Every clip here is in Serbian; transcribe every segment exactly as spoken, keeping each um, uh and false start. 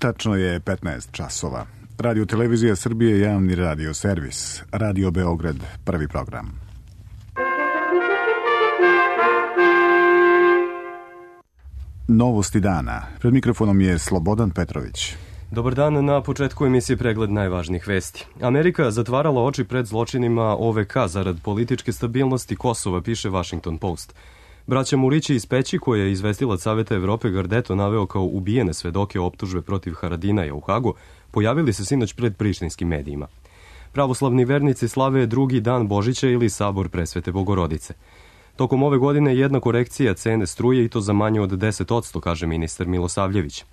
Tačno je petnaest časova. Radio Televizija Srbije, javni radio servis. Radio Beograd, prvi program. Novosti dana. Pred mikrofonom je Slobodan Petrović. Dobar dan, na početku emisije pregled najvažnijih vesti. Amerika zatvarala oči pred zločinima O V K zarad političke stabilnosti Kosova, piše Washington Post. Braća Murići iz Peći, koje je izvestilac Saveta Evrope Gardeto naveo kao ubijene svedoke optužbe protiv Haradinaja u Hagu, pojavili se sinoć pred prištinskim medijima. Pravoslavni vernici slave drugi dan Božića ili Sabor Presvete Bogorodice. Tokom ove godine jedna korekcija cene struje i to za manje od deset posto, kaže ministar Milosavljević.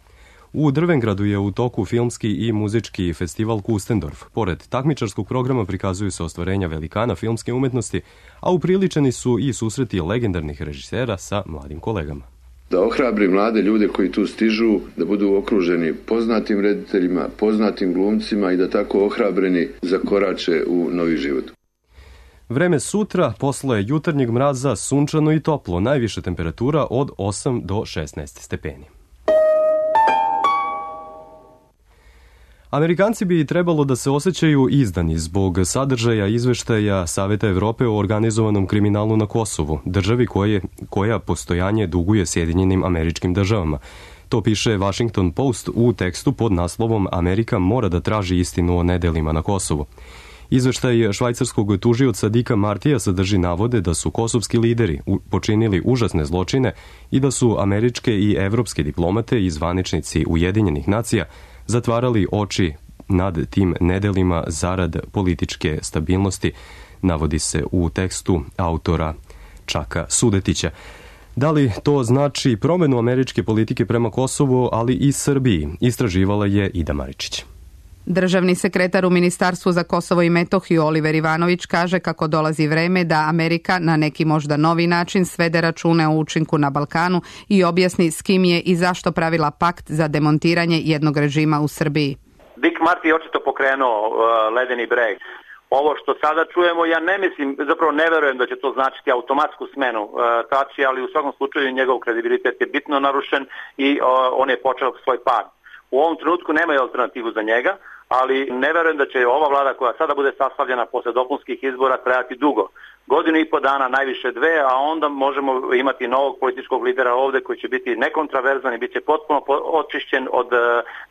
U Drvengradu je u toku filmski i muzički festival Kustendorf. Pored takmičarskog programa prikazuju se ostvarenja velikana filmske umetnosti, a upriličeni su i susreti legendarnih režisera sa mladim kolegama. Da ohrabri mlade ljude koji tu stižu, da budu okruženi poznatim rediteljima, poznatim glumcima i da tako ohrabreni zakorače u novi život. Vreme sutra, posle jutarnjeg mraza, sunčano i toplo, najviša temperatura od osam do šesnaest stepeni. Amerikanci bi trebalo da se osjećaju izdani zbog sadržaja izveštaja Saveta Evrope o organizovanom kriminalu na Kosovu, državi koje, koja postojanje duguje Sjedinjenim Američkim Državama. To piše Washington Post u tekstu pod naslovom Amerika mora da traži istinu o nedelima na Kosovu. Izveštaj švajcarskog tužioca Dicka Martija sadrži navode da su kosovski lideri počinili užasne zločine i da su američke i evropske diplomate i zvaničnici Ujedinjenih nacija zatvarali oči nad tim nedelima zarad političke stabilnosti, navodi se u tekstu autora Čaka Sudetića. Da li to znači promenu američke politike prema Kosovu, ali i Srbiji, istraživala je Ida Maričić. Državni sekretar u Ministarstvu za Kosovo i Metohiju Oliver Ivanović kaže kako dolazi vreme da Amerika na neki možda novi način svede račune o učinku na Balkanu i objasni s kim je i zašto pravila pakt za demontiranje jednog režima u Srbiji. Dick Marty je očito pokrenuo uh, ledeni breg. Ovo što sada čujemo, ja ne mislim, zapravo ne verujem da će to značiti automatsku smenu uh, Tači, ali u svakom slučaju njegov kredibilitet je bitno narušen i uh, on je počeo svoj pad. U ovom trenutku nemaju alternativu za njega, ali ne verujem da će ova vlada koja sada bude sastavljena posle dopunskih izbora trajati dugo. Godinu i po dana, najviše dve, a onda možemo imati novog političkog lidera ovde koji će biti nekontraverzan i bit će potpuno očišćen od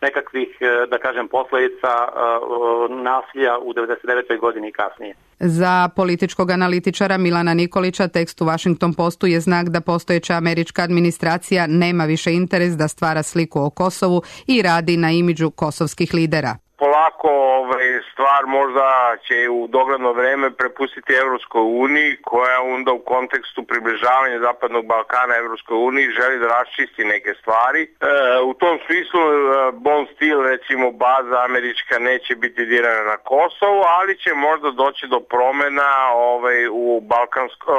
nekakvih, da kažem, posledica nasilja u devedeset devetoj godini i kasnije. Za političkog analitičara Milana Nikolića tekst u Washington Postu je znak da postojeća američka administracija nema više interes da stvara sliku o Kosovu i radi na imidžu kosovskih lidera. Polako ovaj, stvar možda će u dogledno vreme prepustiti Evropskoj uniji, koja onda u kontekstu približavanja Zapadnog Balkana Evropskoj uniji želi da raščisti neke stvari. E, u tom smislu Bond Steel, recimo baza američka, neće biti dirana na Kosovo, ali će možda doći do promena ovaj, u balkansko,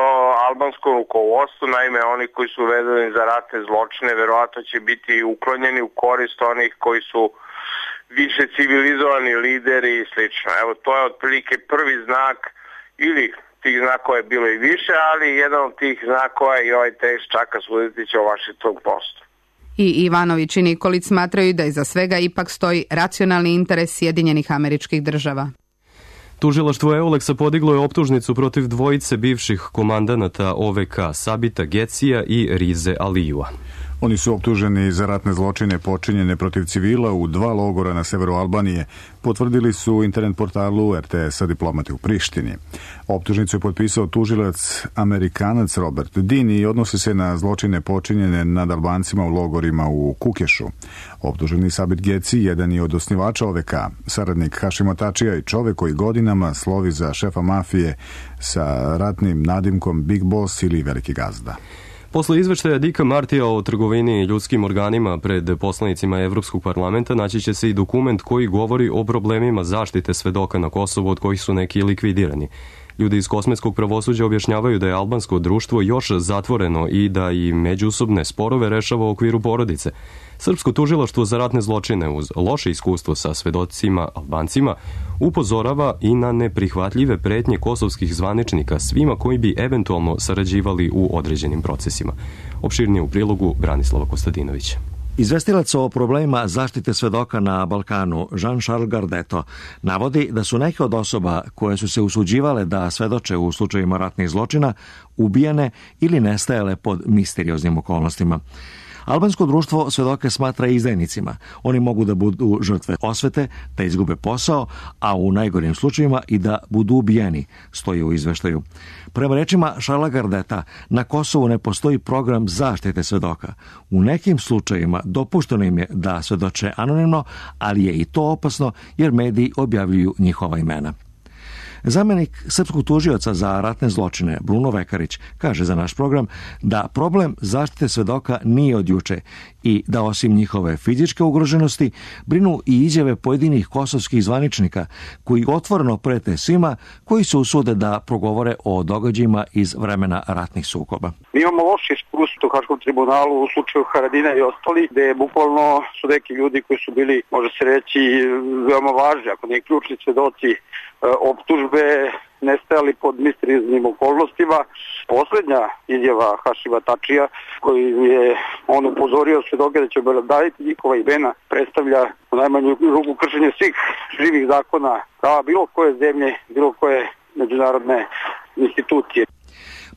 albanskom rukovodstvu. Naime, oni koji su vezani za ratne zločine verovatno će biti uklonjeni u korist onih koji su više civilizovani lideri i slično. Evo, to je otprilike prvi znak, ili tih znakova je bilo i više, ali jedan od tih znakova je i ovaj tekst Čaka Sudetića o Washington Postu. I Ivanović i Nikolić smatraju da iza svega ipak stoji racionalni interes Sjedinjenih Američkih Država. Tužilaštvo Euleksa podiglo je optužnicu protiv dvojice bivših komandanata O V K, Sabita Gecija i Rize Alijua. Oni su optuženi za ratne zločine počinjene protiv civila u dva logora na severu Albanije, potvrdili su internet portalu R T S-a diplomati u Prištini. Optužnicu je potpisao tužilac Amerikanac Robert Dean i odnosi se na zločine počinjene nad Albancima u logorima u Kukešu. Optuženi Sabit Geci jedan je od osnivača O V K, saradnik Hašima Tačija i čovek koji godinama slovi za šefa mafije sa ratnim nadimkom Big Boss ili Veliki gazda. Posle izveštaja Dicka Martija o trgovini ljudskim organima pred poslanicima Evropskog parlamenta naći će se i dokument koji govori o problemima zaštite svedoka na Kosovu, od kojih su neki likvidirani. Ljudi iz kosmetskog pravosuđa objašnjavaju da je albansko društvo još zatvoreno i da i međusobne sporove rešava u okviru porodice. Srpsko tužilaštvo za ratne zločine uz loše iskustvo sa svedocima Albancima upozorava i na neprihvatljive pretnje kosovskih zvaničnika svima koji bi eventualno sarađivali u određenim procesima. Opširnije u prilogu Branislava Kostadinovića. Izvestilac o problemima zaštite svedoka na Balkanu, Jean-Charles Gardeto, navodi da su neke od osoba koje su se usuđivale da svedoče u slučajevima ratnih zločina ubijene ili nestajale pod misterioznim okolnostima. Albansko društvo svedoke smatra izdajnicima. Oni mogu da budu žrtve osvete, da izgube posao, a u najgorim slučajevima i da budu ubijeni, stoji u izveštaju. Prema rečima Šarla Gardeta, na Kosovu ne postoji program zaštite svedoka. U nekim slučajevima dopušteno im je da svedoče anonimno, ali je i to opasno jer mediji objavljuju njihova imena. Zamenik srpskog tužioca za ratne zločine, Bruno Vekarić, kaže za naš program da problem zaštite svedoka nije od juče i da osim njihove fizičke ugroženosti brinu i izjave pojedinih kosovskih zvaničnika koji otvoreno prete svima koji se usude da progovore o događajima iz vremena ratnih sukoba. Mi imamo loše iskustvo u Haškom tribunalu u slučaju Haradina i ostali, gde bukvalno su neki ljudi koji su bili, može se reći, veoma važni, ako ne ključni svedoci, optužbe nestajali pod misterioznim okolnostima. Poslednja izjava Hašima Tačija, koji je on upozorio svedoke da će obraditi njihova imena, predstavlja u najmanju ruku kršenje svih živih zakona prava bilo koje zemlje, bilo koje međunarodne institucije.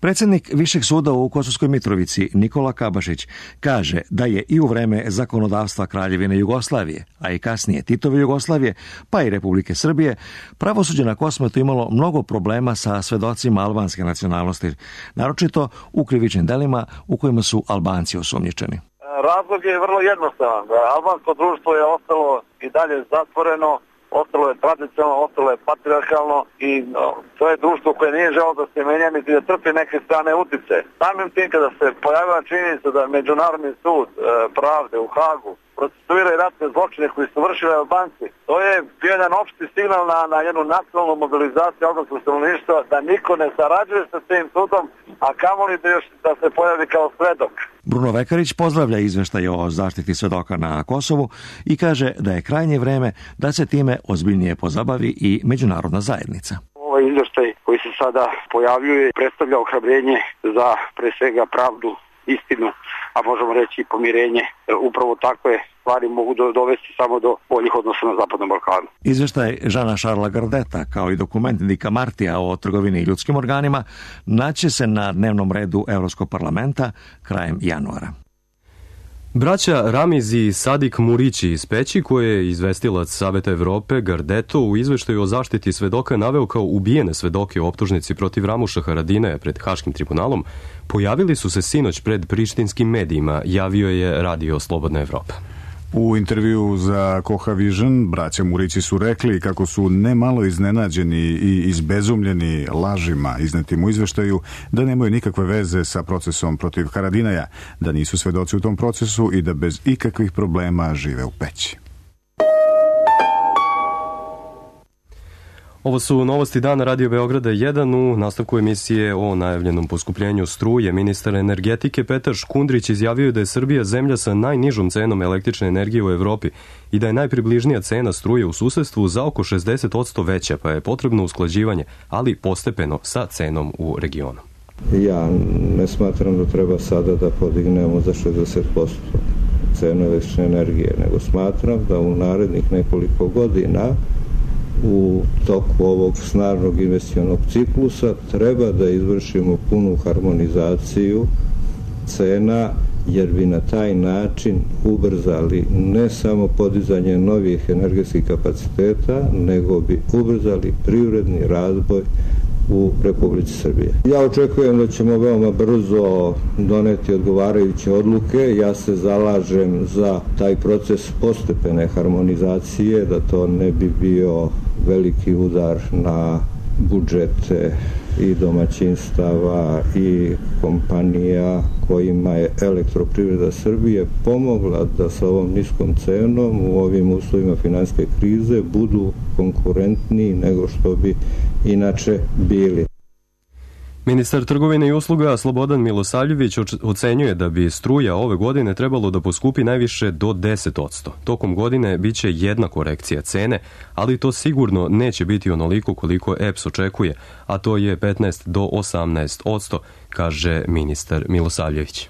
Predsjednik Višeg suda u Kosovskoj Mitrovici, Nikola Kabašić, kaže da je i u vreme zakonodavstva Kraljevine Jugoslavije, a i kasnije Titove Jugoslavije, pa i Republike Srbije, pravosuđe na Kosmetu imalo mnogo problema sa svedocima albanske nacionalnosti, naročito u krivičnim delima u kojima su Albanci osumnjičeni. Razlog je vrlo jednostavan. Albansko društvo je ostalo i dalje zatvoreno, ostalo je tradicionalno, ostalo je patrijarhalno i no, to je društvo koje nije želo da se menja niti da trpi neke strane utice. Samim tim kada se pojavila činjenica da Međunarodni sud e, pravde u Hagu procesuira i ratne zločine koji su vršili Albanci, to je bio jedan opšti signal na, na jednu nacionalnu mobilizaciju albanskog stanovništva da niko ne sarađuje sa tim sudom, a kamoli da još da se pojavi kao svedok. Bruno Vekarić pozdravlja izveštaj o zaštiti svedoka na Kosovu i kaže da je krajnje vreme da se time ozbiljnije pozabavi i međunarodna zajednica. Ovaj izveštaj koji se sada pojavljuje predstavlja ohrabrenje za pre svega pravdu, istinu, a možemo reći i pomirenje. Upravo takve stvari mogu dovesti samo do boljih odnosa na Zapadnom Balkanu. Izveštaj Žana Šarla Gardeta kao i dokument Dika Martija o trgovini i ljudskim organima naće se na dnevnom redu Evropskog parlamenta krajem januara. Braća Ramiz i Sadik Murići iz Peći, koje je izvestilac Saveta Evrope Gardeto u izveštaju o zaštiti svedoka naveo kao ubijene svedoke u optužnici protiv Ramuša Haradine pred Haškim tribunalom, pojavili su se sinoć pred prištinskim medijima, javio je Radio Slobodna Evropa. U intervju za Koha Vision braća Murići su rekli kako su nemalo iznenađeni i izbezumljeni lažima iznetim u izveštaju da nemaju nikakve veze sa procesom protiv Haradinaja, da nisu svedoci u tom procesu i da bez ikakvih problema žive u Peći. Ovo su novosti dana Radio Beograda jedan. U nastavku emisije o najavljenom poskupljenju struje ministar energetike Petar Škundrić izjavio da je Srbija zemlja sa najnižom cenom električne energije u Evropi i da je najpribližnija cena struje u susedstvu za oko šezdeset posto veća, pa je potrebno usklađivanje, ali postepeno sa cenom u regionu. Ja ne smatram da treba sada da podignemo za šezdeset posto cenu električne energije, nego smatram da u narednih nekoliko godina u toku ovog snažnog investicionog ciklusa treba da izvršimo punu harmonizaciju cena, jer bi na taj način ubrzali ne samo podizanje novih energetskih kapaciteta, nego bi ubrzali privredni razvoj u Republici Srbije. Ja očekujem da ćemo veoma brzo doneti odgovarajuće odluke. Ja se zalažem za taj proces postepene harmonizacije, da to ne bi bio veliki udar na budžete i domaćinstava i kompanija kojima je Elektroprivreda Srbije pomogla da sa ovom niskom cenom u ovim uslovima finansijske krize budu konkurentniji nego što bi inače bili. Ministar trgovine i usluga Slobodan Milosavljević ocenjuje da bi struja ove godine trebalo da poskupi najviše do deset posto. Tokom godine biće jedna korekcija cene, ali to sigurno neće biti onoliko koliko E P S očekuje, a to je petnaest do osamnaest posto, kaže ministar Milosavljević.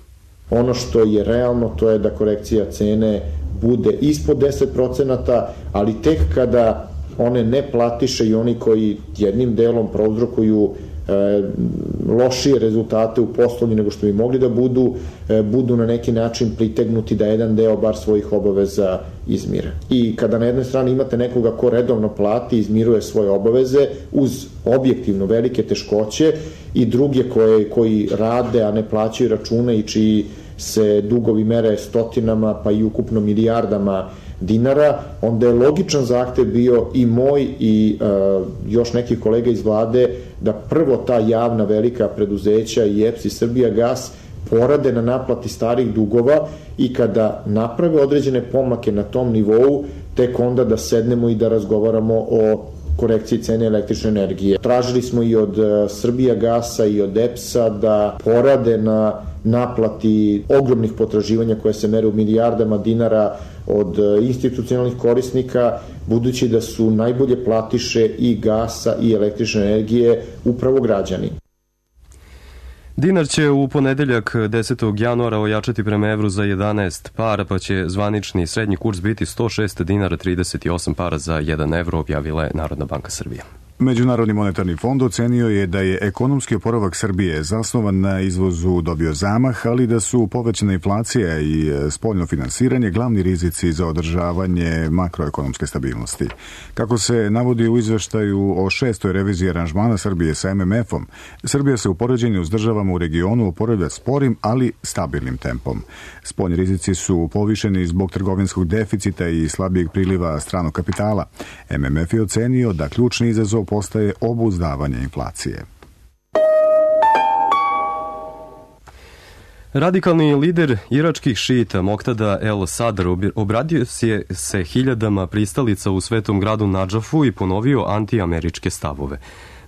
Ono što je realno, to je da korekcija cene bude ispod deset procenata, ali tek kada one ne platiše i oni koji jednim delom prouzrokuju e, lošije rezultate u poslovnji nego što bi mogli da budu, e, budu na neki način pritegnuti da jedan deo bar svojih obaveza izmire. I kada na jednoj strani imate nekoga ko redovno plati, izmiruje svoje obaveze uz objektivno velike teškoće i druge koje, koji rade, a ne plaćaju račune i čiji se dugovi mere stotinama pa i ukupno milijardama dinara, onda je logičan zahtev bio i moj i uh, još nekih kolega iz vlade da prvo ta javna velika preduzeća i E P S i Srbijagas porade na naplati starih dugova i kada naprave određene pomake na tom nivou, tek onda da sednemo i da razgovaramo o korekciji cene električne energije. Tražili smo i od Srbijagasa i od E P S-a da porade na naplati ogromnih potraživanja koje se mere u milijardama dinara od institucionalnih korisnika, budući da su najbolje platiše i gasa i električne energije upravo građani. Dinar će u ponedeljak desetog januara ojačati prema evru za jedanaest para, pa će zvanični srednji kurs biti sto šest dinara trideset osam para za jedan evro, objavila je Narodna banka Srbije. Međunarodni monetarni fond ocenio je da je ekonomski oporavak Srbije zasnovan na izvozu dobio zamah, ali da su povećana inflacija i spoljno finansiranje glavni rizici za održavanje makroekonomske stabilnosti. Kako se navodi u izveštaju o šestoj reviziji aranžmana Srbije sa M M F-om, Srbija se u poređenju s državama u regionu oporavlja sporim, ali stabilnim tempom. Spoljni rizici su povišeni zbog trgovinskog deficita i slabijeg priliva stranog kapitala. M M F je ocenio da ključni izazov postaje obuzdavanje inflacije. Radikalni lider iračkih šita Moktada El Sadr obradio se, se hiljadama pristalica u svetom gradu Nadžafu i ponovio antiameričke stavove.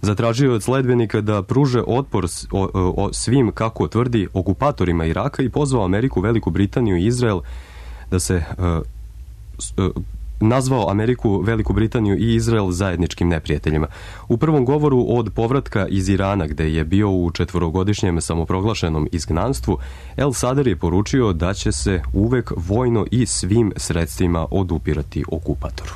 Zatražio je od sledbenika da pruže otpor o, o svim, kako tvrdi, okupatorima Iraka i pozvao Ameriku, Veliku Britaniju i Izrael da se uh, uh, nazvao Ameriku, Veliku Britaniju i Izrael zajedničkim neprijateljima. U prvom govoru od povratka iz Irana, gde je bio u četvorogodišnjem samoproglašenom izgnanstvu, El Sadr je poručio da će se uvek vojno i svim sredstvima odupirati okupatoru.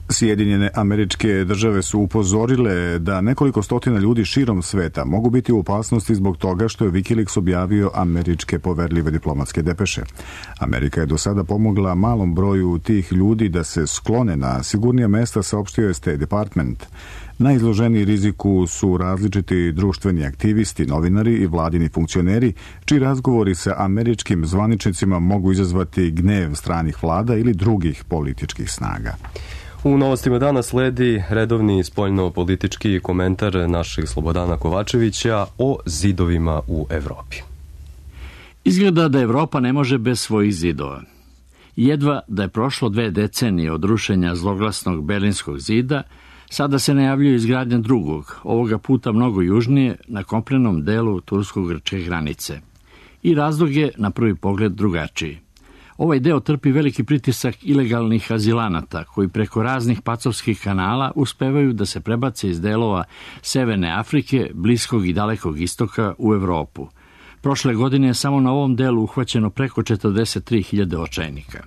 Sjedinjene Američke Države su upozorile da nekoliko stotina ljudi širom sveta mogu biti u opasnosti zbog toga što je Wikileaks objavio američke poverljive diplomatske depeše. Amerika je do sada pomogla malom broju tih ljudi da se sklone na sigurnija mesta, saopštio je State Department. Najizloženiji riziku su različiti društveni aktivisti, novinari i vladini funkcioneri, čiji razgovori sa američkim zvaničnicima mogu izazvati gnev stranih vlada ili drugih političkih snaga. U novostima dana sledi redovni spoljno-politički komentar našeg Slobodana Kovačevića o zidovima u Evropi. Izgleda da Evropa ne može bez svojih zidova. Jedva da je prošlo dve decenije od rušenja zloglasnog Berlinskog zida, sada se najavljuje izgradnja drugog, ovoga puta mnogo južnije, na kopnenom delu tursko-grčke granice. I razlog je na prvi pogled drugačiji. Ovaj deo trpi veliki pritisak ilegalnih azilanata koji preko raznih pacovskih kanala uspevaju da se prebace iz delova Severne Afrike, Bliskog i Dalekog istoka u Evropu. Prošle godine je samo na ovom delu uhvaćeno preko četrdeset tri hiljade očajnika.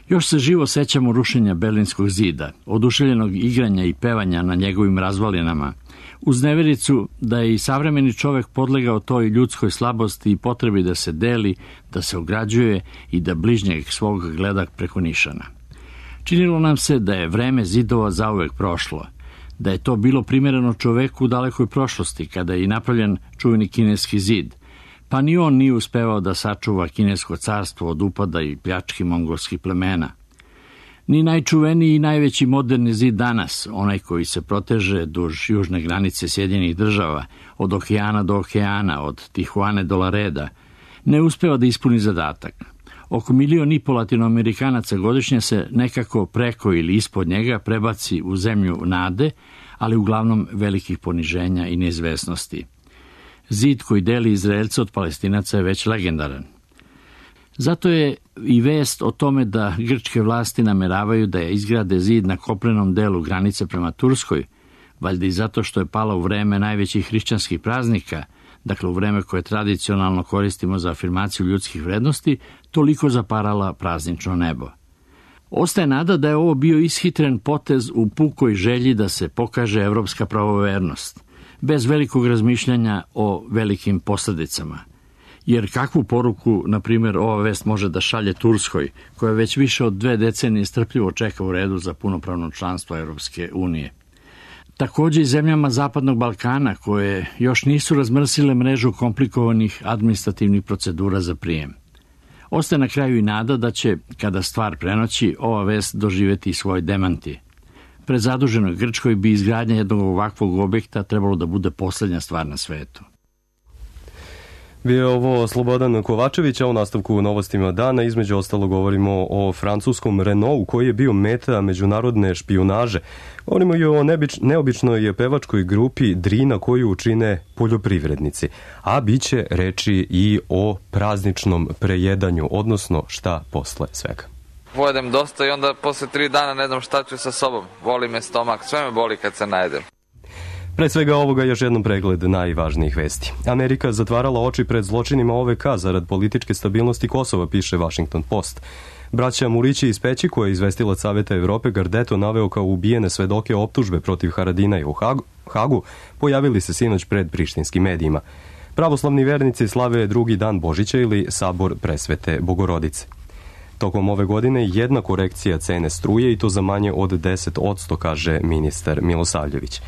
Još se živo sećamo rušenja Berlinskog zida, oduševljenog igranja i pevanja na njegovim razvalinama, uz nevericu da je i savremeni čovek podlegao toj ljudskoj slabosti i potrebi da se deli, da se ograđuje i da bližnjeg svog gleda preko nišana. Činilo nam se da je vreme zidova zauvek prošlo, da je to bilo primereno čoveku u dalekoj prošlosti, kada je i napravljen čuveni kineski zid, pa ni on nije uspevao da sačuva kinesko carstvo od upada i pljački mongolskih plemena. Ni najčuveniji i najveći moderni zid danas, onaj koji se proteže duž južne granice Sjedinjenih Država, od okeana do okeana, od Tijuane do Lareda, ne uspeva da ispuni zadatak. Oko milion i pol Latinoamerikanaca godišnje se nekako preko ili ispod njega prebaci u zemlju nade, ali uglavnom velikih poniženja i neizvesnosti. Zid koji deli Izraelce od Palestinaca je već legendaran. Zato je i vest o tome da grčke vlasti nameravaju da je izgrade zid na kopnenom delu granice prema Turskoj, valjda i zato što je palo u vreme najvećih hrišćanskih praznika, dakle u vreme koje tradicionalno koristimo za afirmaciju ljudskih vrednosti, toliko zaparala praznično nebo. Ostaje nada da je ovo bio ishitren potez u pukoj želji da se pokaže evropska pravovernost, bez velikog razmišljanja o velikim posledicama. Jer kakvu poruku, na primjer, ova vest može da šalje Turskoj, koja već više od dve decenije strpljivo čeka u redu za punopravno članstvo Evropske unije. Također i zemljama Zapadnog Balkana, koje još nisu razmrsile mrežu komplikovanih administrativnih procedura za prijem. Ostaje na kraju i nada da će, kada stvar prenoći, ova vest doživjeti svoj demanti. Pred zaduženoj Grčkoj bi izgradnja jednog ovakvog objekta trebalo da bude posljednja stvar na svetu. Bio je ovo Slobodan Kovačević, a u nastavku novostima dana između ostalo govorimo o francuskom Renaultu koji je bio meta međunarodne špijunaže. Govorimo i o nebič, neobičnoj pevačkoj grupi Drina koju čine poljoprivrednici, a bit će reči i o prazničnom prejedanju, odnosno šta posle svega. Pojedem dosta i onda posle tri dana ne znam šta ću sa sobom. Boli me stomak, sve me boli kad se najedem. Pre svega ovoga još jednom pregled najvažnijih vesti. Amerika zatvarala oči pred zločinima O V K zarad političke stabilnosti Kosova, piše Washington Post. Braća Murići iz Peći, koje je izvestilac Saveta Evrope Gardeto naveo kao ubijene svedoke optužbe protiv Haradinaja u Hagu, Hagu, pojavili se sinoć pred prištinskim medijima. Pravoslavni vernici slave drugi dan Božića ili Sabor Presvete Bogorodice. Tokom ove godine jedna korekcija cene struje i to za manje od deset posto, kaže ministar Milosavljević.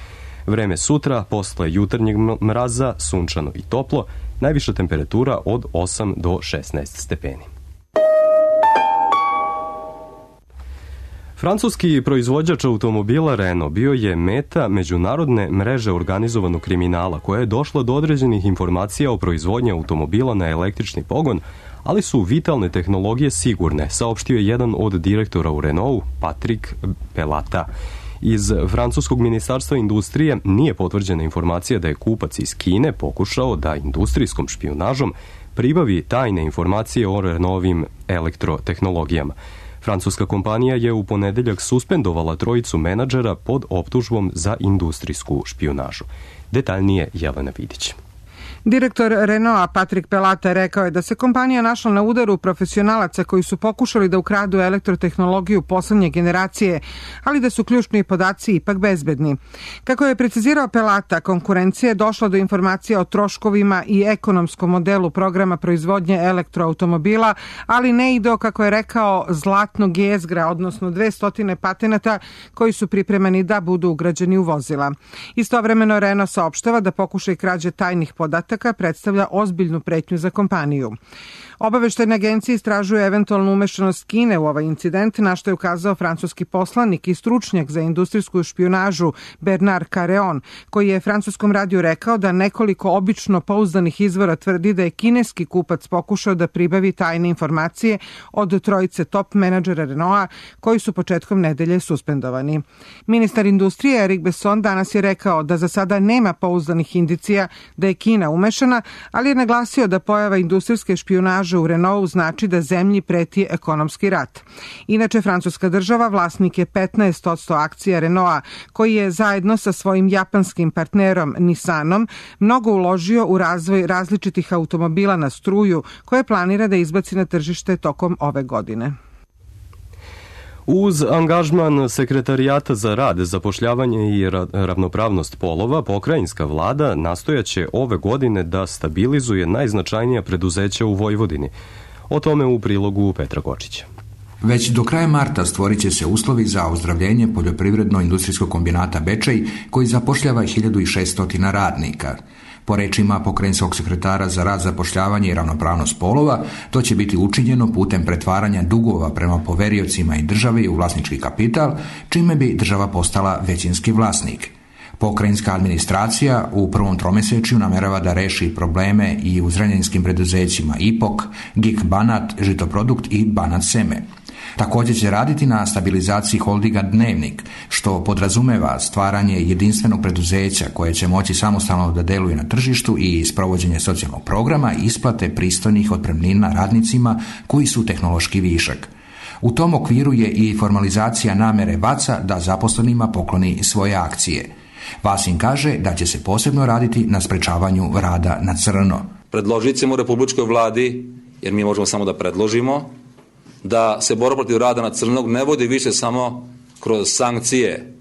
Vreme sutra, posle jutarnjeg mraza, sunčano i toplo, najviša temperatura od osam do šesnaest stepeni. Francuski proizvođač automobila Renault bio je meta međunarodne mreže organizovanog kriminala koja je došla do određenih informacija o proizvodnji automobila na električni pogon, ali su vitalne tehnologije sigurne, saopštio je jedan od direktora u Renaultu, Patrick Pelata. Iz francuskog ministarstva industrije nije potvrđena informacija da je kupac iz Kine pokušao da industrijskom špijunažom pribavi tajne informacije o Renaultovim elektrotehnologijama. Francuska kompanija je u ponedeljak suspendovala trojicu menadžera pod optužbom za industrijsku špijunažu. Detaljnije Jelena Vidić. Direktor Renaulta Patrick Pelata rekao je da se kompanija našla na udaru profesionalaca koji su pokušali da ukradu elektrotehnologiju poslednje generacije, ali da su ključni podaci ipak bezbedni. Kako je precizirao Pelata, konkurencija je došla do informacija o troškovima i ekonomskom modelu programa proizvodnje elektroautomobila, ali ne i do, kako je rekao, zlatnog jezgra, odnosno dvesta patenata koji su pripremani da budu ugrađeni u vozila. Istovremeno Renault saopštava da pokušaj krađe tajnih podataka predstavlja ozbiljnu pretnju za kompaniju. Obaveštajne agencije istražuju eventualnu umešanost Kine u ovaj incident, na što je ukazao francuski poslanik i stručnjak za industrijsku špijunažu Bernard Careon, koji je francuskom radiju rekao da nekoliko obično pouzdanih izvora tvrdi da je kineski kupac pokušao da pribavi tajne informacije od trojice top menadžera Renaulta koji su početkom nedelje suspendovani. Ministar industrije Eric Besson danas je rekao da za sada nema pouzdanih indicija da je Kina umešana, ali je naglasio da pojava industrijske špijunaže u Renaultu znači da zemlji preti ekonomski rat. Inače, francuska država vlasnik je petnaest posto akcija Renaulta, koji je zajedno sa svojim japanskim partnerom Nissanom mnogo uložio u razvoj različitih automobila na struju koje planira da izbaci na tržište tokom ove godine. Uz angažman Sekretarijata za rad, zapošljavanje i ravnopravnost polova, pokrajinska vlada nastojaće ove godine da stabilizuje najznačajnija preduzeća u Vojvodini. O tome u prilogu Petra Kočića. Već do kraja marta stvorit će se uslovi za ozdravljenje poljoprivredno-industrijskog kombinata Bečej, koji zapošljava hiljadu šesto radnika. Po rečima pokrajinskog sekretara za rad, zapošljavanje i ravnopravnost polova, to će biti učinjeno putem pretvaranja dugova prema poveriocima i državi u vlasnički kapital, čime bi država postala većinski vlasnik. Pokrajinska administracija u prvom tromesečju namerava da reši probleme i u zrenjaninskim preduzećima I P O K, G I K Banat, Žitoprodukt i Banat Seme. Također će raditi na stabilizaciji holdinga Dnevnik, što podrazumeva stvaranje jedinstvenog preduzeća koje će moći samostalno da deluje na tržištu i sprovođenje socijalnog programa i isplate pristojnih otpremnina radnicima koji su tehnološki višak. U tom okviru je i formalizacija namere V A C-a da zaposlenima pokloni svoje akcije. Vasin kaže da će se posebno raditi na sprečavanju rada na crno. Predložit ćemo Republičkoj vladi, jer mi možemo samo da predložimo, da se borba protiv rada na crnog ne vodi više samo kroz sankcije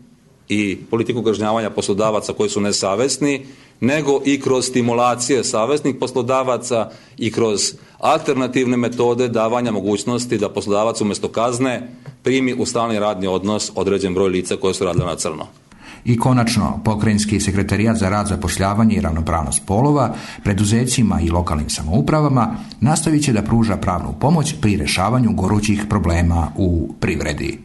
i politiku kažnjavanja poslodavaca koji su nesavesni, nego i kroz stimulacije savesnih poslodavaca i kroz alternativne metode davanja mogućnosti da poslodavac umjesto kazne primi u stalni radni odnos određen broj lica koje su radile na crno. I konačno, Pokrajinski sekretarijat za rad, zapošljavanje i ravnopravnost polova preduzećima i lokalnim samoupravama nastavit će da pruža pravnu pomoć pri rešavanju gorućih problema u privredi.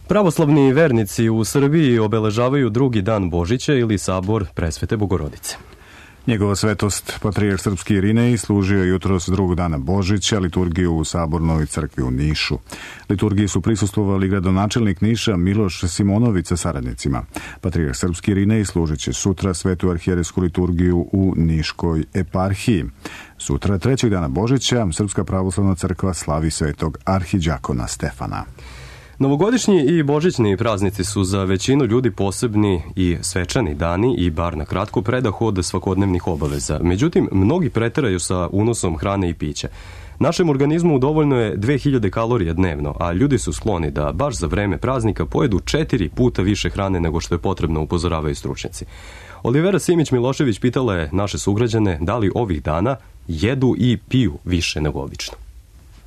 Pravoslavni vernici u Srbiji obeležavaju drugi dan Božića ili sabor Presvete Bogorodice. Njegova svetost, patrijarh srpski Irinej, služio jutros drugog dana Božića liturgiju u Sabornoj crkvi u Nišu. Liturgiji su prisustvovali gradonačelnik Niša Miloš Simonović sa saradnicima. Patrijarh srpski Irinej služit će sutra svetu arhijerejsku liturgiju u Niškoj eparhiji. Sutra, trećeg dana Božića, Srpska pravoslavna crkva slavi svetog arhiđakona Stefana. Novogodišnji i božićni praznici su za većinu ljudi posebni i svečani dani i bar na kratko predah od svakodnevnih obaveza. Međutim, mnogi preteraju sa unosom hrane i pića. Našem organizmu dovoljno je dve hiljade kalorija dnevno, a ljudi su skloni da baš za vreme praznika pojedu četiri puta više hrane nego što je potrebno, upozoravaju stručnjaci. Olivera Simić-Milošević pitala je naše sugrađane da li ovih dana jedu i piju više nego obično.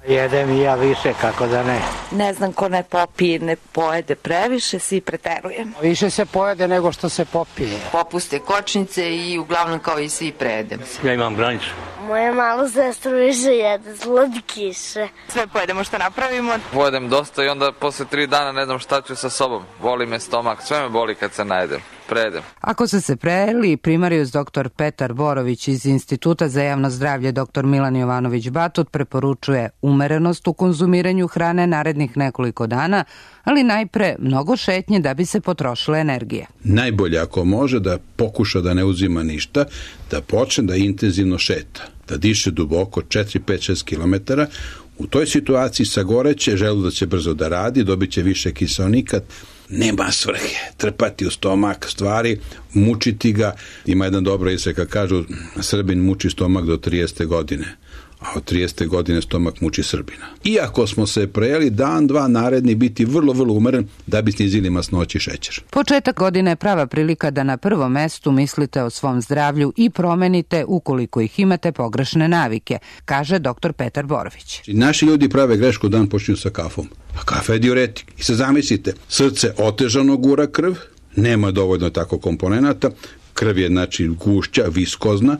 Jedem i ja više, kako da ne. Ne znam ko ne popije, ne pojede previše, svi preterujemo. Više se pojede nego što se popije. Popuste kočnice i uglavnom kao i svi prejedem. Ja imam granicu. Moja mala sestra više jede slatkiše. Sve pojedemo što napravimo. Pojedem dosta i onda posle tri dana ne znam šta ću sa sobom. Boli me stomak, sve me boli kad se najedem. Prejedem. Ako ste se prejeli, primarijus doktor Petar Borović iz Instituta za javno zdravlje doktor Milan Jovanović Batut preporučuje umerenost u konzumiranju hrane narednih nekoliko dana, ali najpre mnogo šetnje da bi se potrošila energija. Najbolje ako može da pokuša da ne uzima ništa, da počne da intenzivno šeta, da diše duboko četiri, pet, šest kilometara. U toj situaciji sagoreće, želudac će brzo da radi, dobit će više kiseonika. Nema svrhe trpati u stomak stvari, mučiti ga. Ima jedan dobra izreka, kažu Srbin muči stomak do tridesete godine, a od tridesete godine stomak muči Srbina. Iako smo se prejeli, dan, dva naredni biti vrlo, vrlo umeren da bi snizili masnoći šećer. Početak godine je prava prilika da na prvom mestu mislite o svom zdravlju i promenite, ukoliko ih imate, pogrešne navike, kaže doktor Petar Borović. Naši ljudi prave grešku, dan počinju sa kafom. A kafa je diuretik. I sad zamislite, srce otežano gura krv, nema dovoljno tako komponenata, krv je znači gušća, viskozna,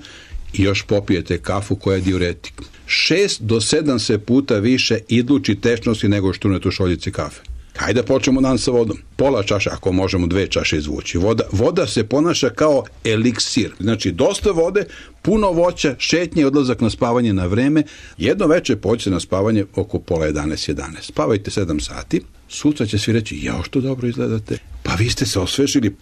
i još popijete kafu koja je diuretik. Šest do sedam se puta više izluči tečnosti nego što unete u šoljici kafe. Hajde da počnemo dan sa vodom. Pola čaše, ako možemo dve čaše izvući. Voda, voda se ponaša kao eliksir. Znači, dosta vode, puno voća, šetnje i odlazak na spavanje na vreme. Jedno veče pođete na spavanje oko pola jedanaest, jedanaest. Spavajte sedam sati. Sutra će svi reći, jao što dobro izgledate. Pa vi ste se osvežili.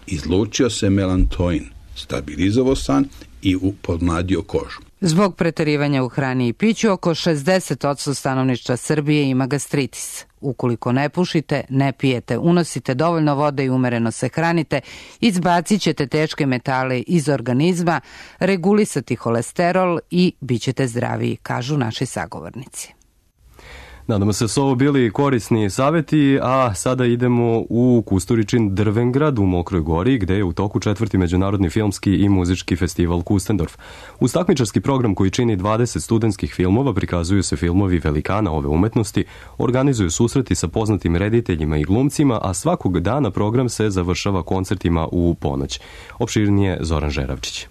Izlučio se melantoin, stabilizovao san i podmladio kožu. Zbog preterivanja u hrani i piću, oko šezdeset posto stanovništva Srbije ima gastritis. Ukoliko ne pušite, ne pijete, unosite dovoljno vode i umereno se hranite, izbacit ćete teške metale iz organizma, regulisati holesterol i bit ćete zdraviji, kažu naši sagovornici. Nadamo se su ovo bili korisni savjeti, a sada idemo u Kusturičin Drvengrad u Mokroj Gori, gde je u toku četvrti međunarodni filmski i muzički festival Kustendorf. Uz takmičarski program koji čini dvadeset studentskih filmova prikazuju se filmovi velikana ove umetnosti, organizuju susreti sa poznatim rediteljima i glumcima, a svakog dana program se završava koncertima u ponoć. Opširnije Zoran Žeravčić.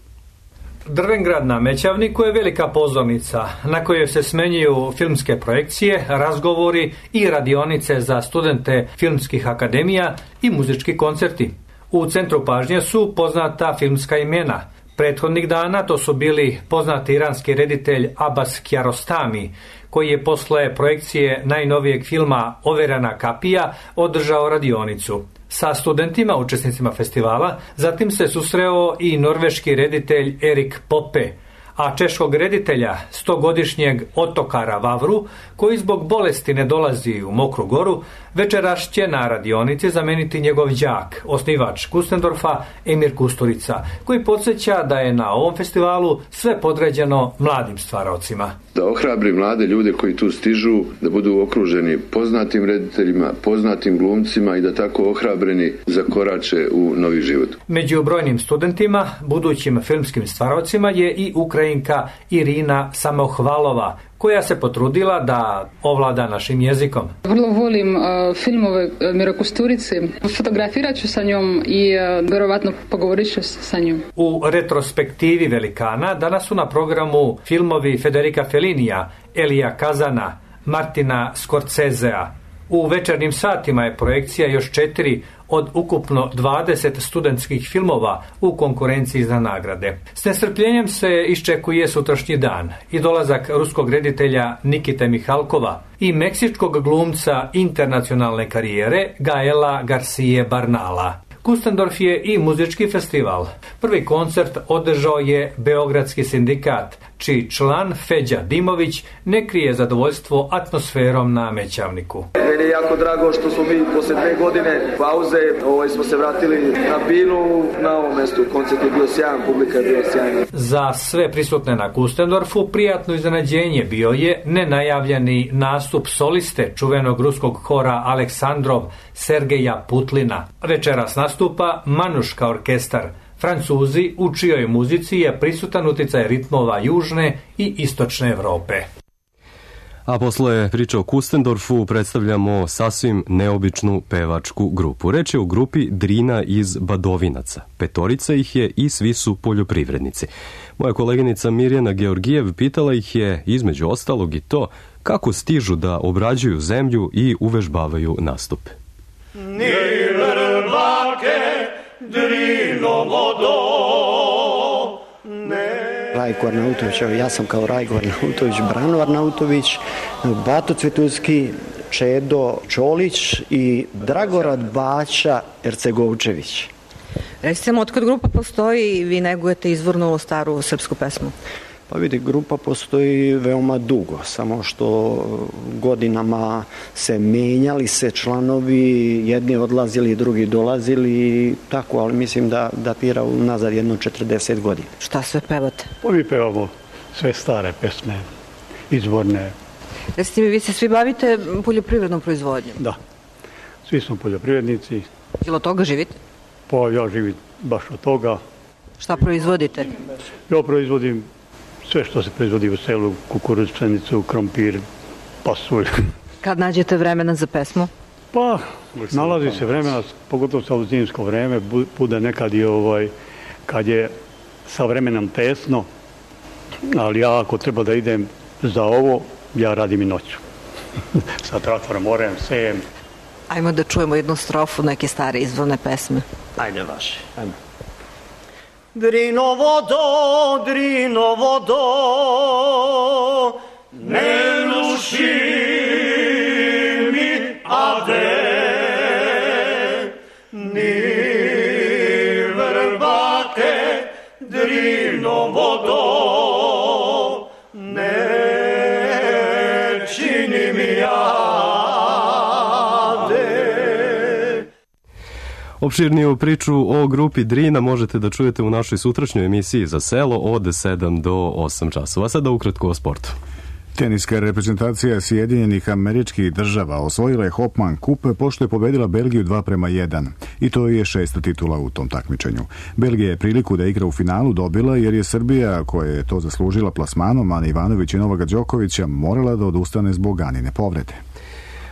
Drvengrad na Mećavniku je velika pozornica na kojoj se smenjuju filmske projekcije, razgovori i radionice za studente filmskih akademija i muzički koncerti. U centru pažnje su poznata filmska imena. Prethodnih dana to su bili poznati iranski reditelj Abbas Kiarostami, koji je posle projekcije najnovijeg filma Overena kapija održao radionicu sa studentima, učesnicima festivala. Zatim se susreo i norveški reditelj Erik Poppe, a češkog reditelja, stogodišnjeg Otokara Vavru, koji zbog bolesti ne dolazi u Mokru Goru, večeras će na radionici zameniti njegov đak, osnivač Kustendorfa, Emir Kusturica, koji podsjeća da je na ovom festivalu sve podređeno mladim stvaraocima. Da ohrabri mlade ljude koji tu stižu, da budu okruženi poznatim rediteljima, poznatim glumcima i da tako ohrabreni zakorače u novi život. Među brojnim studentima, budućim filmskim stvaraocima je i Ukrajinka Irina Samohvalova, koja se potrudila da ovlada našim jezikom. Vrlo volim uh, filmove Mira Kusturice. Fotografirat ću sa njom i uh, verovatno pogovorit ću sa njom. U retrospektivi velikana danas su na programu filmovi Federica Fellinija, Elija Kazana, Martina Scorsesea. U večernjim satima je projekcija još četiri od ukupno dvadeset studentskih filmova u konkurenciji za nagrade. S nestrpljenjem se iščekuje sutrašnji dan i dolazak ruskog reditelja Nikite Mihalkova i meksičkog glumca internacionalne karijere Gaela Garcije Barnala. Kustendorf je i muzički festival. Prvi koncert održao je Beogradski sindikat, čiji član Feđa Dimović ne krije zadovoljstvo atmosferom na Mećavniku. Meni je jako drago što smo mi posle dve godine pauze ovaj, smo se vratili na Binu, na ovom mestu. Koncert je bio sjajan, publika je bila sjajna. Za sve prisutne na Kustendorfu prijatno iznenađenje bio je nenajavljeni nastup soliste čuvenog ruskog hora Aleksandrov Sergeja Putlina. Večeras nastupa Manuška orkestar. Francuzi, u čijoj muzici je prisutan uticaj ritmova južne i istočne Evrope. A posle priče o Kustendorfu predstavljamo sasvim neobičnu pevačku grupu. Reč je o grupi Drina iz Badovinaca. Petorica ih je i svi su poljoprivrednici. Moja koleginica Mirjana Georgijev pitala ih je, između ostalog, i to kako stižu da obrađuju zemlju i uvežbavaju nastupe. Rajko Arnautović, ja sam kao Rajko Arnautović, Brano Arnautović, Bato Cvetuski, Čedo Čolić i Dragorad Baća Ercegovčević. Recite nam, otkad grupa postoji i vi negujete izvornu staru srpsku pesmu? Pa vidi, grupa postoji veoma dugo, samo što godinama se menjali se članovi, jedni odlazili, drugi dolazili, tako, ali mislim da datira nazad jedno četrdeset godina. Šta sve pevate? Pa mi pevamo sve stare pesme, izvorne. Recite mi, vi se svi bavite poljoprivrednom proizvodnjom? Da, svi smo poljoprivrednici. Ili od toga živite? Pa ja živim baš od toga. Šta proizvodite? Ja proizvodim sve što se proizvodi u selu, kukuruz, pšenicu, krompir, pasulj. Kad nađete vremena za pesmu? Pa, nalazi se vremena, pogotovo sa zimsko vreme, bude nekad i ovaj, kad je sa vremenom tesno, ali ja ako treba da idem za ovo, ja radim i noću. Sa traktorom orem, sejem. Ajmo da čujemo jednu strofu neke stare izvorne pesme. Ajde vaše, ajmo. Drino vodo, Drino vodo, ne nuši mi ade, ni vrbake, Drino vodo, ne čini mi ade. Opširniju priču o grupi Drina možete da čujete u našoj sutrašnjoj emisiji Za selo od sedam do osam časova. Sada ukratko o sportu. Teniska reprezentacija Sjedinjenih Američkih Država osvojila je Hopman Kup pošto je pobedila Belgiju dva prema jedan. I to je šesta titula u tom takmičenju. Belgija je priliku da igra u finalu dobila jer je Srbija, koja je to zaslužila plasmanom Ane Ivanović i Novaka Đokovića, morala da odustane zbog Anine povrede.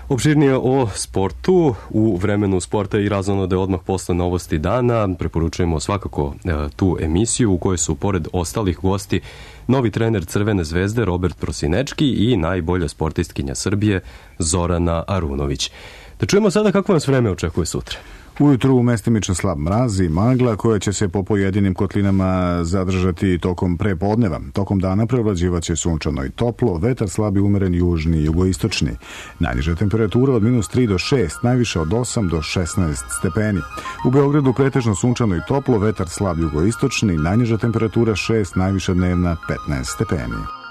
Opširnije o sportu u vremenu sporta i razonode odmah posle novosti dana. Preporučujemo svakako e, tu emisiju u kojoj su pored ostalih gosti novi trener Crvene zvezde Robert Prosinečki i najbolja sportistkinja Srbije Zorana Arunović. Da čujemo sada kako vas vreme očekuje sutra. Ujutru mestimično slab mraz i magla koja će se po pojedinim kotlinama zadržati tokom prepodneva. Tokom dana prevlađivaće sunčano i toplo, vetar slab i umeren južni i jugoistočni. Najniža temperatura od minus tri do šest, najviše od osam do šesnaest stepeni. U Beogradu pretežno sunčano i toplo, vetar slab jugoistočni, najniža temperatura šest, najviša dnevna petnaest stepeni.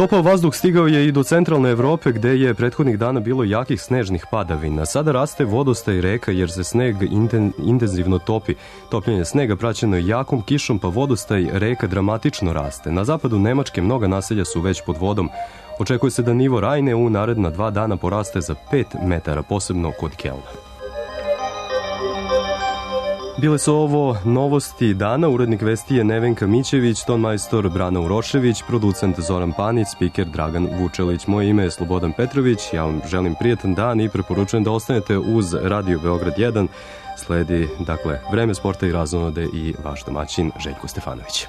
Topao vazduh stigao je i do centralne Evrope gde je prethodnih dana bilo jakih snežnih padavina. Sada raste vodostaj reka jer se sneg intenzivno topi. Topljenje snega praćeno je jakom kišom pa vodostaj reka dramatično raste. Na zapadu Nemačke mnoga naselja su već pod vodom. Očekuje se da nivo Rajne u naredna dva dana poraste za pet metara, posebno kod Kelna. Bile su ovo novosti dana, urednik vesti je Nevenka Mićević, tonmajstor Brana Urošević, producent Zoran Panić, spiker Dragan Vučelić. Moje ime je Slobodan Petrović, ja vam želim prijetan dan i preporučujem da ostanete uz Radio Beograd jedan. Sledi, dakle, vreme sporta i razonode i vaš domaćin Željko Stefanović.